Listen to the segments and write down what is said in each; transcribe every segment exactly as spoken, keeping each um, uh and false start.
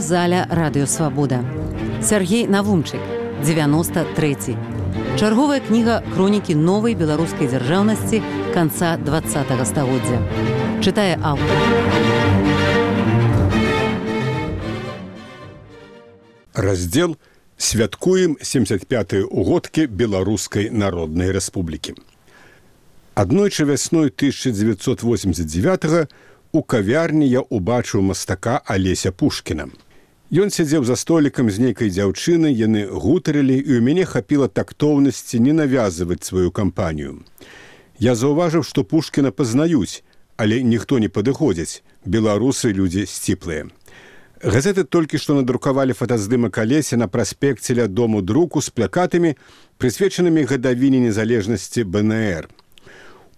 Аўдыёзаля Радыёсвабода. Сяргей Навумчык, дзевяносто трэці. Чарговая кніга хронікі новай беларускай дзяржаўнасці канца двадцатага стагоддзя. Чытае аўтар. Раздзел «Святкуем семьдесят пятыя угодкі Беларускай Народнай Рэспублікі». Аднойчы вясной тысяча дзевяцьсот восемьдесят девятага у кавярні я убачыў мастака Алеся Пушкіна. Ён сядзеў за столікам з нейкай дзяўчынай, яны гутарылі, і ў мяне хапіла тактоўнасці не навязваць сваю кампанію. Я заўважыў, што Пушкіна пазнаюць, але ніхто не падыходзіць, беларусы людзі сціплыя. Газеты толькі што надрукавалі фотаздымак Алеся на праспекце ля дому друку з плакатамі, прысвечанымі гадавіне незалежнасці бэ эн эр.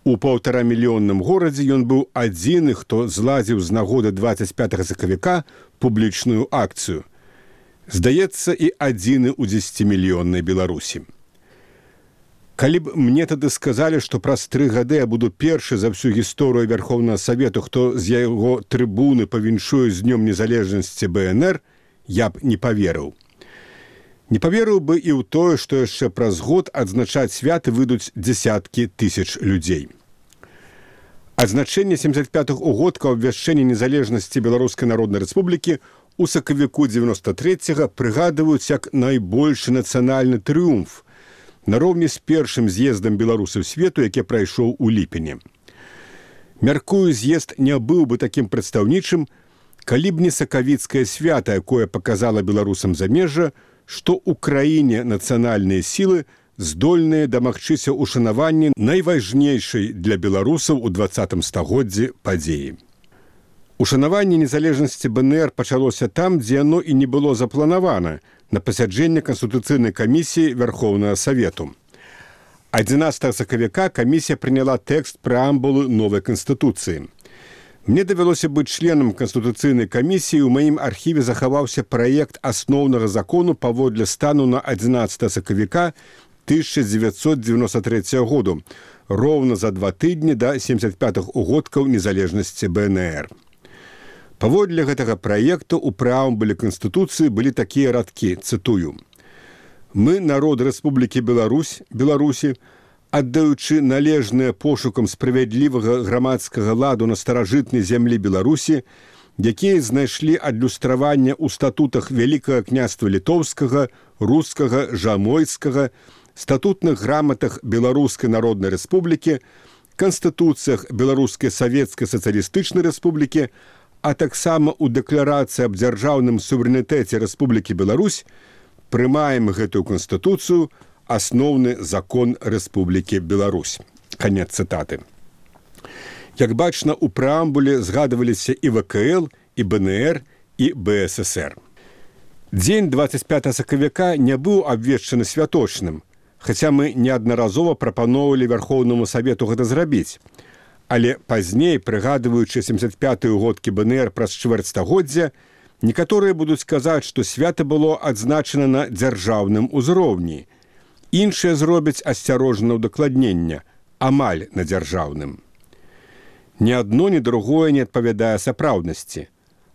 У паўтарамільённым горадзе ён быў адзіны, хто злазіў з нагоды дваццаць пятага сакавіка публічную акцыю. Здаецца, і адзіны ў дзесяцімільённай Беларусі. Калі б мне тады сказалі, што праз тры гады я буду першы за всю гісторыю Вярхоўнага Савету, хто з яго трыбуны павіншуе з днём незалежнасці бэ эн эр, я б не паверыў. Не паверыў бы і ў тое, што яшчэ праз год адзначаць святы выйдуць дзесяткі тысяч людзей. Адзначэнне семьдесят пятых угодка абвяшчэння незалежнасці Беларускай Народнай Рэспублікі у сакавіку дзевяносто трэцяга прыгадваюць як найбольшы нацыянальны трыумф, нароўні з першым з'ездам беларусаў свету, які прайшоў у ліпені. Мяркую, з'езд не быў бы такім прадстаўнічым, калі б не сакавіцкае свята, якое паказала беларусам замежжа, што ў краіне нацыянальныя сілы здольныя дамагчыся ушанаванні найважнейшай для беларусаў у дваццатым стагоддзі падзеі. Ушанаванне незалежнасці бэ эн эр пачалося там, дзе яно і не было запланавана, на пасяджэнне Канстытуцыйнай камісіі Вярхоўнага Савету. адзінаццатага сакавіка камісія прыняла тэкст прэамбулы новай Канстытуцыі. Мне давялося быць членам Канстытуцыйнай камісіі, у маім архіве захаваўся праект асноўнага закону паводле стану на адзінаццатага сакавіка тысяча дзевяцьсот дзевяносто трэцяга году, роўна за два тыдні да семьдесят пятых угодкаў незалежнасці бэ эн эр. Паводле гэтага праекту ў прэамбуле Канстытуцыі былі такія радкі, цытую: «Мы, народ Рэспублікі Беларусь, Беларусі, аддаючы належныя пошукам справядлівага грамадскага ладу на старажытнай зямлі Беларусі, якія знайшлі адлюстраванне ў статутах Вялікага княства Літоўскага, Рускага, Жамойцкага, статутных граматах Беларускай Народнай Рэспублікі, канстытуцыях Беларускай Савецкай Сацыялістычнай Рэспублікі, а таксама ў дэкларацыі аб дзяржаўным суверэнітэце Рэспублікі Беларусь, прымаем гэтую канстытуцыю асноўны закон Рэспублікі Беларусь». Канец цытаты. Як бачна, у прэамбуле згадываліся і вэ ка эл, і бэ эн эр, і бэ эс эс эр. Дзень дваццаць пятага сакавіка не быў абвешчаны святочным, хаця мы неаднаразова прапаноўвалі Вярхоўнаму Савету гэта зрабіць. Але пазней, прыгадваючы семьдесят пятыя угодкі бэ эн эр праз чвэрць стагоддзя, некаторыя будуць казаць, што свята было адзначана на дзяржаўным узроўні. Іншыя зробяць асцярожнае ўдакладненне, амаль на дзяржаўным. Ні адно, ні другое не адпавядае сапраўднасці.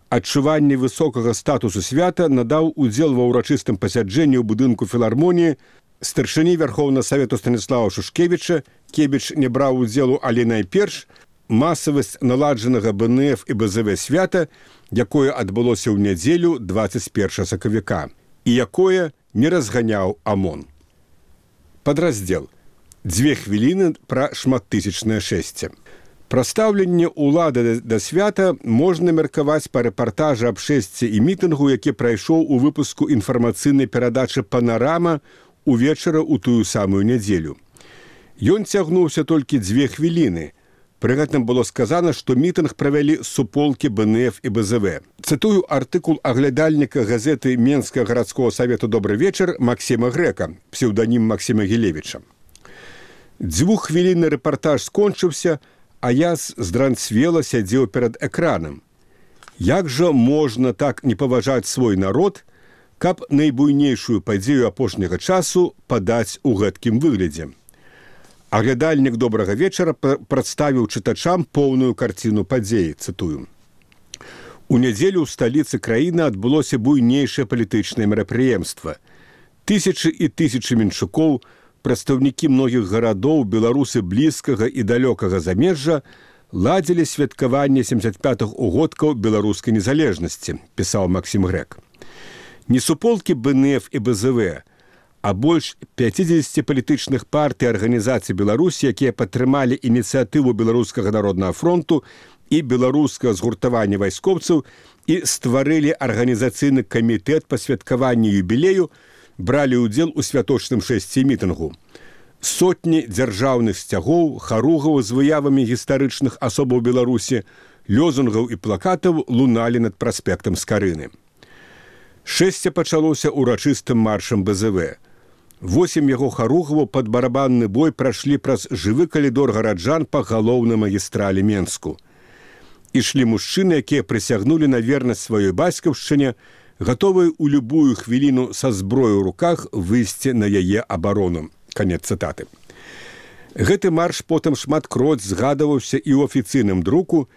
Адчуванне высокага статусу свята надаў удзел ва ўрачыстым пасяджэнні ў будынку філармоніі старшыні Вярхоўнага Савету Станіслава Шушкевіча. Кебіч не браў удзелу, але найперш масавасць наладжанага бэ эн эф і бэ зэ вэ свята, якое адбылося ў нядзелю дваццаць першага сакавіка, і якое не разганяў АМОН. Падраздзел. Дзве хвіліны пра шматтысячнае шэсце. Пра стаўленне ўлады да свята можна меркаваць па рэпартажы аб шэсці і мітынгу, які прайшоў у выпуску інфармацыйнай перадачы «Панарама» увечара ў тую самую нядзелю. Ён цягнуўся толькі дзве хвіліны. Пры гэтым было сказана, што мітынг правялі суполкі бэ эн эф і бэ зэ вэ. Цытую артыкул аглядальніка газеты Менскага гарадскога савету «Добры вечар» Максіма Грэка, псеўданім Максіма Гілевіча. Дзвюххвілінны рэпартаж скончыўся, а я здранцвела сядзеў перад экранам. Як жа можна так не паважаць свой народ, каб найбуйнейшую падзею апошняга часу падаць у гэткім выглядзе? Аглядальнік «Добрага вечара» прадставіў чытачам поўную карціну падзеі, цытую. У нядзелю ў сталіцы краіны адбылося буйнейшае палітычнае мерапрыемства. Тысячы і тысячы менчукоў, прадстаўнікі многіх гарадоў, беларусы блізкага і далёкага замежжа ладзілі святкаванне семдзесят пятых угодкаў беларускай незалежнасці, пісаў Максім Грэк. Не суполкі бэ эн эф і бэ зэ вэ, а больш пяцідзесяці палітычных партый і арганізацый Беларусі, якія падтрымалі ініцыятыву Беларускага народнага фронту і беларускага згуртавання вайскоўцаў і стварылі арганізацыйны камітэт па святкаванні юбілею, бралі ўдзел у святочным шэсці мітынгу. Сотні дзяржаўных сцягоў, харугаў з выявамі гістарычных асобаў Беларусі, лёзунгаў і плакатаў луналі над праспектам Скарыны. Шэсце пачалося урачыстым маршам бэ зэ вэ. Восем яго харугаваў пад барабанны бой прайшлі праз жывы калідор гараджан па галоўнай магістралі Менску. Ішлі мужчыны, якія прысягнулі на вернасць сваёй бацькаўшчыне, гатовыя ў любую хвіліну са зброёй у руках выйсці на яе абарону. Канец цытаты. Гэты марш потым шматкроць згадаваўся і ў афіцыйным друку,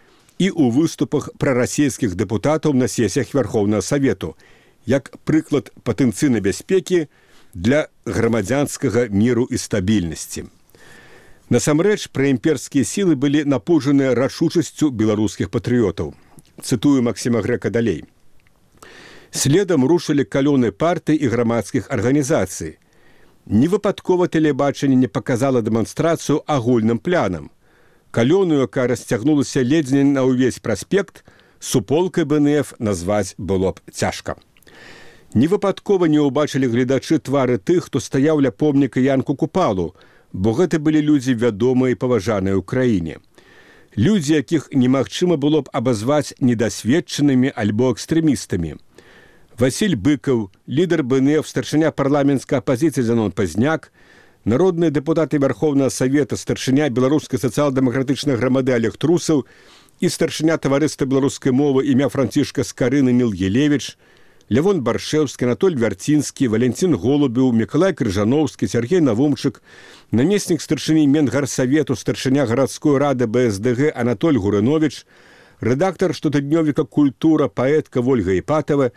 і ў выступах прарасійскіх дэпутатаў на сесіях Вярхоўнага Савету, як прыклад патэнцыйнай бяспекі для грамадзянскага міру і стабільнасці. Насамрэч, праімперскія сілы былі напужаныя рашучасцю беларускіх патрыётаў. Цытую Максіма Грэка далей. Следам рушылі калёны партый і грамадскіх арганізацый. Невыпадкова тэлебачанне не паказала дэманстрацыю агульным планам. Калёну, якая расцягнулася ледзь не на ўвесь праспект, суполкай бэ эн эф назваць было б цяжка. Невыпадкова не ўбачылі гледачы твары тых, хто стаяў ля помніка Янку Купалу, бо гэта былі людзі вядомыя і паважаныя ў краіне. Людзі, якіх немагчыма было б абазваць недасведчанымі альбо экстрэмістамі. Васіль Быкаў, лідар бэ эн эф, старшыня парламенцкай апазіцыі Зянон Пазняк, народныя дэпутаты Вярхоўнага Савета, старшыня беларускай сацыял-дэмакратычнай грамады Олег Трусаў і старшыня таварыства беларускай мовы імя Францішка Скарыны Ніл Елевіч, Лявон Баршэўскі, Анатоль Вярцінскі, Валентин Голубеў, Мікалай Крыжановскі, Сергей Навумчык, намеснік старшыні Менгарсавету, старшыня гарадской рады бэ эс дэ гэ Анатоль Гурыновіч, рэдактар штотыднёвіка «Культура», паэтка Вольга Іпатава,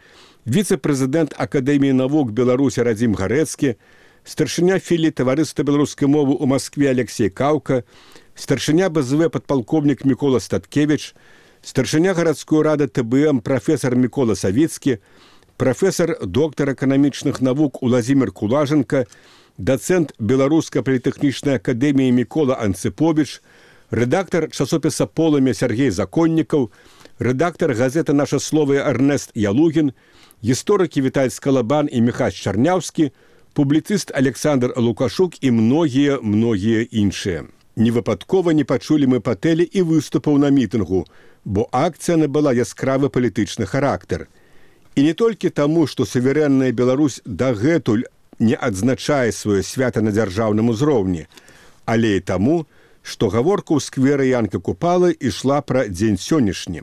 віцэ-прэзідэнт Акадэміі навук Беларусі Радзім Гарэцкі, старшыня філіі таварыства беларускай мовы ў Маскве Алексей Каўка, старшыня бэ зэ вэ падпалкоўнік Мікола Статкевіч, старшыня гарадской рады тэ бэ эм прафесар Мікола Савіцкі, прафесар доктар эканамічных навук Уладзімір Кулаженка, дацэнт Беларускай політэхнічнай акадэміі Мікола Анцыповіч, рэдактар часопіса «Полымя» Сергей Законнікаў, рэдактар газеты «Наша слово» Эрнест Ялугін, гісторыкі Віталь Скалабан і Міхась Чарняўскі, публіцыст Александр Лукашук і многія-многія іншыя. Невыпадкова не пачулі мы па тэле і выступаў на мітынгу, бо акцыя набыла яскравы палітычны характар. І не толькі таму, што суверэнная Беларусь дагэтуль не адзначае сваё свята на дзяржаўным узроўні, але і таму, што гаворка ў скверы Янка Купалы ішла пра дзень сённяшні.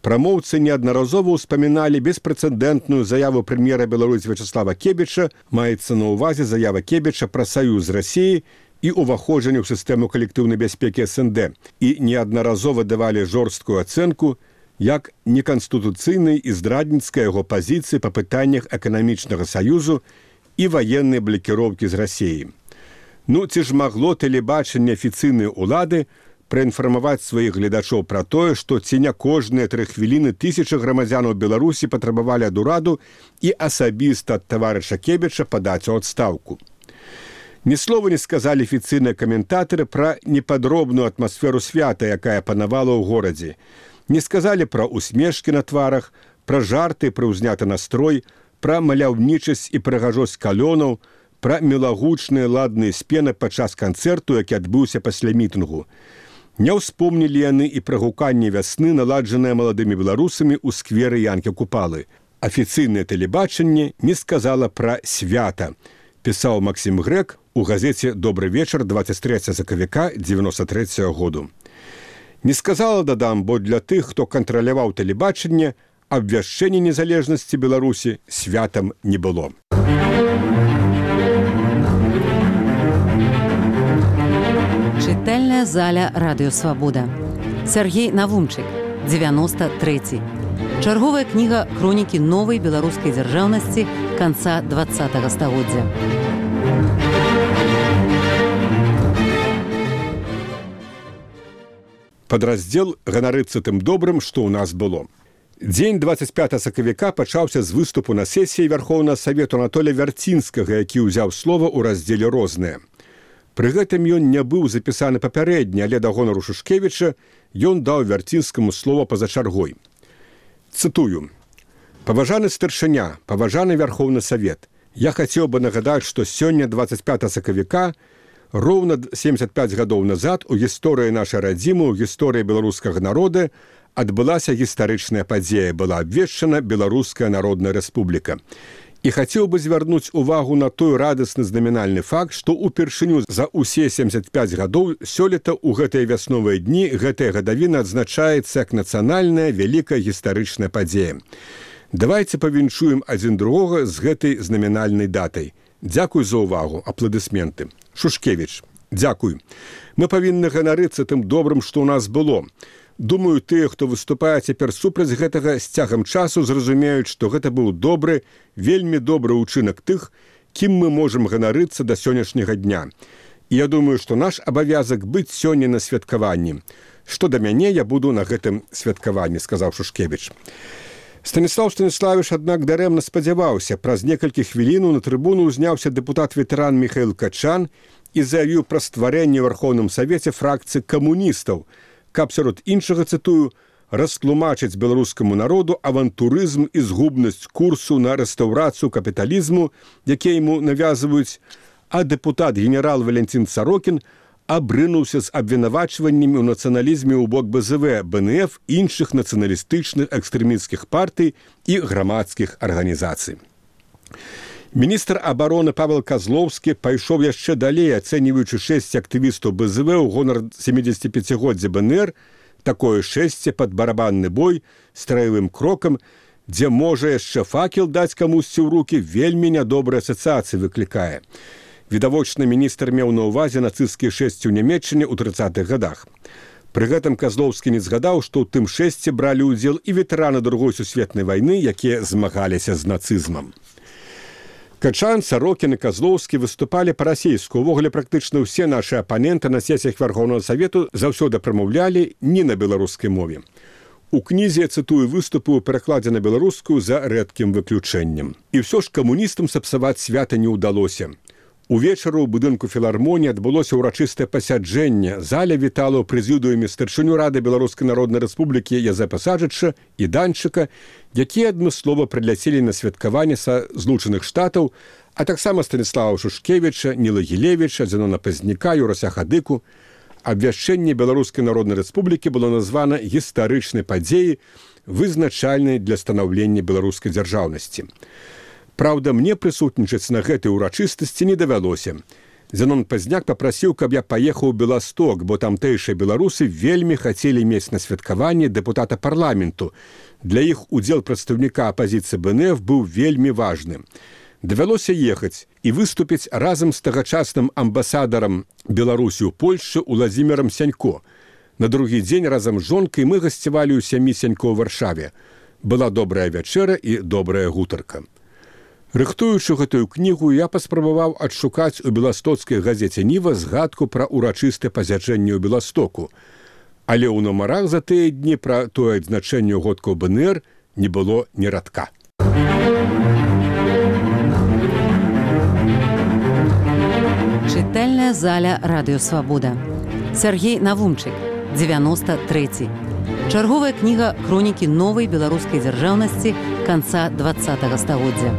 Прамоўцы неаднаразова ўспаміналі беспрэцэдэнтную заяву прэм'ера Беларусі Вячаслава Кебіча, маецца на ўвазе заява Кебіча пра саюз Расіі і ўваходжанне ў сістэму калектыўнай бяспекі эс эн дэ, і неаднаразова давалі жорсткую ацэнку як неканстытуцыйнай і здрадніцкай яго пазіцыі па пытаннях эканамічнага саюзу і ваеннай блакіроўкі з Расіі. Ну, ці ж магло тэлебачанне афіцыйнай улады праінфармаваць сваіх гледачоў пра тое, што ці не кожныя тры хвіліны тысячы грамадзянаў Беларусі патрабавалі ад ураду і асабіста ад таварыша Кебіча падаць у адстаўку. Ні слова не сказалі афіцыйныя каментатары пра непадробную атмасферу свята, якая панавала ў горадзе. Не сказалі пра усмешкі на тварах, пра жарты, пра ўзняты настрой, пра маляўнічасць і прыгажосць калёнаў, пра мілагучныя ладныя спены падчас канцэрту, які адбыўся пасля мітынгу. Не ўспомнілі яны і пра гуканне вясны, наладжанае маладымі беларусамі ў скверы Янкі Купалы. Афіцыйнае тэлебачанне не сказала пра свята, пісаў Максім Грэк у газеце «Добры вечар» двадцять трэцяга сакавіка дзевяноста трэцяга году. Не сказала, дадам, бо для тых, хто кантраляваў тэлебачанне, абвяшчэнне незалежнасці Беларусі святам не было. Чытальная заля «Радыё Свабода». Сергей Навумчык, девяносто третий. Чарговая кніга хронікі новай беларускай дзяржаўнасці канца дваццатага стагоддзя. Падраздзел «Ганарыцца тым добрым, што ў нас было». Дзень дваццаць пятага сакавіка пачаўся з выступу на сесіі Вярхоўнага Савету Анатолія Вярцінскага, які ўзяў слова ў раздзеле «Розныя». Пры гэтым ён не быў запісаны папярэдні, але да гонару Шушкевіча ён даў Вярцінскаму слова па-за чаргой. Цытую. «Паважаны старшыня, паважаны Вярхоўны Савет, я хацеў бы нагадаць, што сёння дваццаць пятага сакавіка роўна семдзесят пяць гадоў назад у гісторыі нашай радзімы, у гісторыі беларускага народа адбылася гістарычная падзея, была абвешчана Беларуская Народная Рэспубліка. І хацеў бы звярнуць увагу на той радасны знамінальны факт, што ўпершыню за ўсе семдзесят пяць гадоў сёлета ў гэтыя вясновыя дні гэтая гадавіна адзначаецца як нацыянальная вялікая гістарычная падзея. Давайце павіншуем адзін другога з гэтай знамінальнай датай. Дзякуй за ўвагу, апладысменты. Шушкевіч, дзякуй. Мы павінны ганарыцца тым добрым, што ў нас было. Думаю, тыя, хто выступае цяпер супраць гэтага, з цягам часу зразумеюць, што гэта быў добры, вельмі добры ўчынак тых, кім мы можам ганарыцца да сённяшняга дня. І я думаю, што наш абавязак быць сёння на святкаванні. Што да мяне, я буду на гэтым святкаванні, сказаў Шушкевіч. Станіслаў Станіславіч, аднак, дарэмна спадзяваўся. Праз некалькі хвілінаў на трыбуну ўзняўся дэпутат-ветэран Міхаіл Качан і заявіў пра стварэнне ў Вярхоўным Савеце фракцыі камуністаў, каб сярод іншага, цытую, растлумачыць беларускаму народу авантурызм і згубнасць курсу на рэстаўрацыю капіталізму, які яму навязваюць, а дэпутат генерал Валентин Сарокін абрынуўся з абвінавачваннямі ў нацыяналізме ў бок бэ зэ вэ, бэ эн эф, іншых нацыяналістычных экстрэмісцкіх партый і грамадскіх арганізацый. Міністр абароны Павел Казлоўскі пайшоў яшчэ далей, ацэньваючы шэсць актывістаў бэ зэ вэ ў гонар сямідзесяціпяцігоддзя бэ эн эр, такое шэсце пад барабанны бой страявым крокам, дзе можа яшчэ факел даць камусьці ў рукі, вельмі нядобрыя асацыяцыі выклікае. Відавочна, міністр меў на ўвазе нацысцкія шэсці ў Нямецчыне ў трыццатых гадах. Пры гэтым Казлоўскі не згадаў, што ў тым шэсце бралі ўдзел і ветэраны Другой сусветнай вайны, якія змагаліся з нацызмам. Качан, Сарокін і Казлоўскі выступалі па-расейску. Увогуле, практычна ўсе нашы апаненты на сесіях Вярхоўнага Савету заўсёды прамаўлялі не на беларускай мове. У кнізе, цытую, выступы ў перакладзе на беларускую за рэдкім выключэннем. І ўсё ж камуністам сапсаваць свята не ўдалося. Увечары ў будынку філармоніі адбылося ўрачыстае пасяджэнне. Заля вітала ў прэзідыуме старшыню Рады Беларускай Народнай Рэспублікі Язэпа Саджыча і Данчыка, якія адмыслова прыляцелі на святкаванне са Злучаных Штатаў, а таксама Станіслава Шушкевіча, Ніла Гілевіча, Зенона Пазняка, Юрася Хадыку. Абвяшчэнне Беларускай Народнай Рэспублікі было названа гістарычнай падзеяй, вызначальнай для станаўлення беларускай дзяржаўнасці. Праўда, мне прысутнічаць на гэтай урачыстасці не давялося. Зенон Пазняк папрасіў, каб я паехаў у Беласток, бо тамтэйшыя беларусы вельмі хацелі мець на святкаванні дэпутата парламенту. Для іх удзел прадстаўніка апазіцыі бэ эн эф быў вельмі важны. Давялося ехаць і выступіць разам з тагачасным амбасадарам Беларусі ў Польшчы Уладзімірам Сянько. На другі дзень разам з жонкай мы гасцявалі ў сям'і Сянько ў Варшаве. Была добрая вячэра і добрая гутарка. Рыхтуючы гэтую кнігу, я паспрабаваў адшукаць у беластоцкай газеце «Ніва» згадку пра урачыстае пасяджэнне ў Беластоку. Але ў нумарах за тыя дні пра тое адзначэнне годкаў бэ эн эр не было ні радка. Чытальная заля «Радыё Свабода». Сяргей Навумчык, дзевяносто трэці. Чарговая кніга хронікі новай беларускай дзяржаўнасці канца дваццатага стагоддзя.